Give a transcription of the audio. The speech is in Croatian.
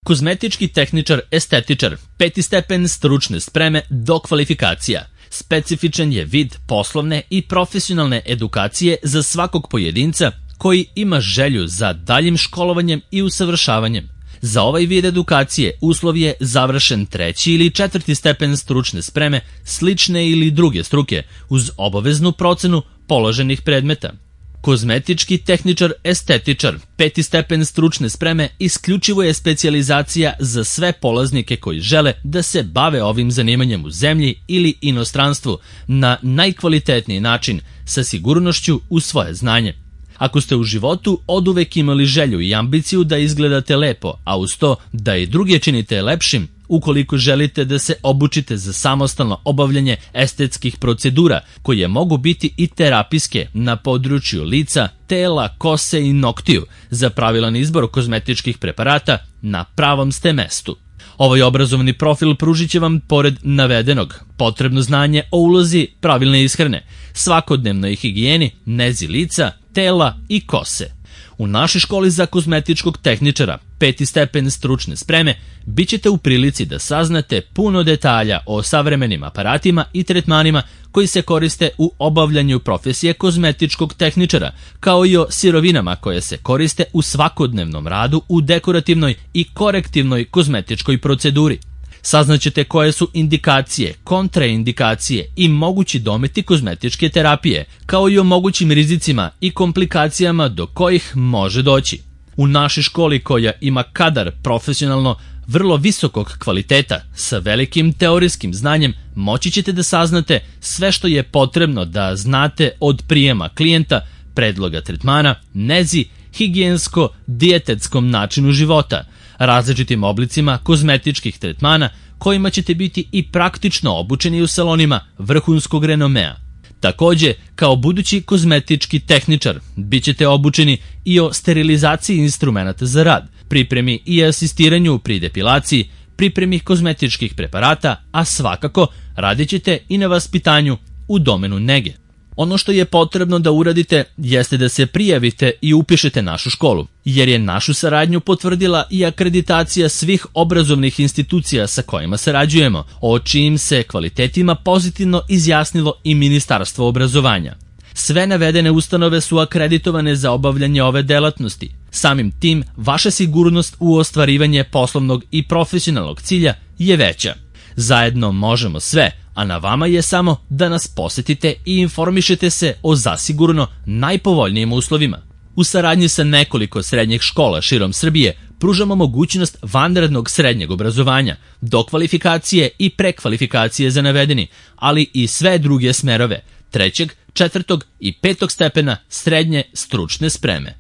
Kozmetički tehničar, estetičar, 5. stepen stručne spreme do kvalifikacija. Specifičan je vid poslovne i profesionalne edukacije za svakog pojedinca koji ima želju za daljim školovanjem i usavršavanjem. Za ovaj vid edukacije uslov je završen 3. ili 4. stepen stručne spreme, slične ili druge struke, uz obaveznu procenu položenih predmeta. Kozmetički tehničar, estetičar, 5. stepen stručne spreme isključivo je specijalizacija za sve polaznike koji žele da se bave ovim zanimanjem u zemlji ili inostranstvu na najkvalitetniji način, sa sigurnošću u svoje znanje. Ako ste u životu oduvek imali želju i ambiciju da izgledate lepo, a uz to da i druge činite lepšim, ukoliko želite da se obučite za samostalno obavljanje estetskih procedura, koje mogu biti i terapijske na području lica, tela, kose i noktiju, za pravilan izbor kozmetičkih preparata, na pravom ste mestu. Ovaj obrazovni profil pružit će vam, pored navedenog, potrebno znanje o ulozi pravilne ishrane, svakodnevnoj higijeni, nezi lica, tela i kose. U našoj školi za kozmetičkog tehničara, 5. stepen stručne spreme, bit ćete u prilici da saznate puno detalja o savremenim aparatima i tretmanima koji se koriste u obavljanju profesije kozmetičkog tehničara, kao i o sirovinama koje se koriste u svakodnevnom radu u dekorativnoj i korektivnoj kozmetičkoj proceduri. Saznaćete koje su indikacije, kontraindikacije i mogući dometi kozmetičke terapije, kao i o mogućim rizicima i komplikacijama do kojih može doći. U našoj školi, koja ima kadar profesionalno vrlo visokog kvaliteta sa velikim teorijskim znanjem, moći ćete da saznate sve što je potrebno da znate od prijema klijenta, predloga tretmana, nezi, higijensko-dijetetskom načinu života, različitim oblicima kozmetičkih tretmana kojima ćete biti i praktično obučeni u salonima vrhunskog renomea. Takođe, kao budući kozmetički tehničar, bit ćete obučeni i o sterilizaciji instrumenta za rad, pripremi i asistiranju pri depilaciji, pripremi kozmetičkih preparata, a svakako radit ćete i na vaspitanju u domenu nege. Ono što je potrebno da uradite jeste da se prijavite i upišete našu školu, jer je našu saradnju potvrdila i akreditacija svih obrazovnih institucija sa kojima sarađujemo, o čijim se kvalitetima pozitivno izjasnilo i Ministarstvo obrazovanja. Sve navedene ustanove su akreditovane za obavljanje ove delatnosti. Samim tim, vaša sigurnost u ostvarivanje poslovnog i profesionalnog cilja je veća. Zajedno možemo sve, a na vama je samo da nas posetite i informišete se o zasigurno najpovoljnijim uslovima. U saradnji sa nekoliko srednjih škola širom Srbije pružamo mogućnost vanrednog srednjeg obrazovanja, dokvalifikacije i prekvalifikacije za navedeni, ali i sve druge smerove 3., 4. i 5. stepena srednje stručne spreme.